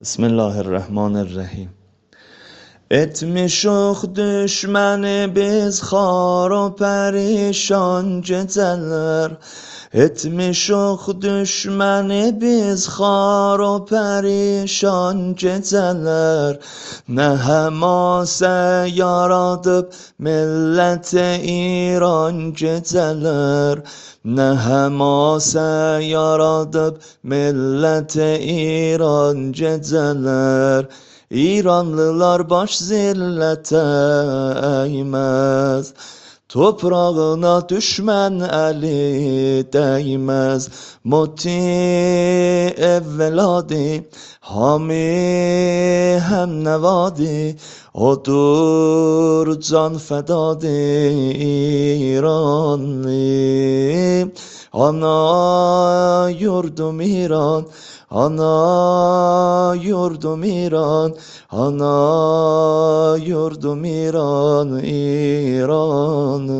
Bismillahirrahmanirrahim. Etmişok düşməni biz xar o pərişan gecələr. Etmişok düşməni biz xar o pərişan gecələr. Nə həmasə yaradıb millət-i İran gecələr. Nə həmasə yaradıb millət-i İran gecələr. İranlılar baş zillətə əyməz, toprağına düşmən əli dəyməz. Moti evvəladi, hami həm nəvadi, odur can fədadi İranlı. Ana yurdum İran, ana yurdum İran, ana yurdum İran, İranı.